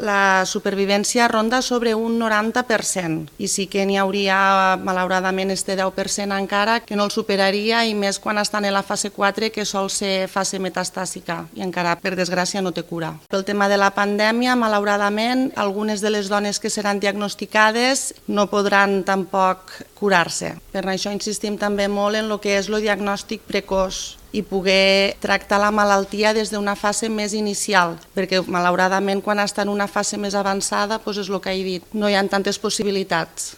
la supervivència ronda sobre un 90% i sí que n'hi hauria, malauradament, este 10% encara que no el superaria, i més quan estan en la fase 4, que sol ser fase metastàsica i encara, per desgràcia, no té cura. Pel tema de la pandèmia, malauradament, algunes de les dones que seran diagnosticades no podran tampoc curar-se. Per això insistim també molt en el que és el diagnòstic precoç i poder tractar la malaltia des d'una fase més inicial, perquè malauradament quan està en una fase més avançada és el que he dit, no hi ha tantes possibilitats.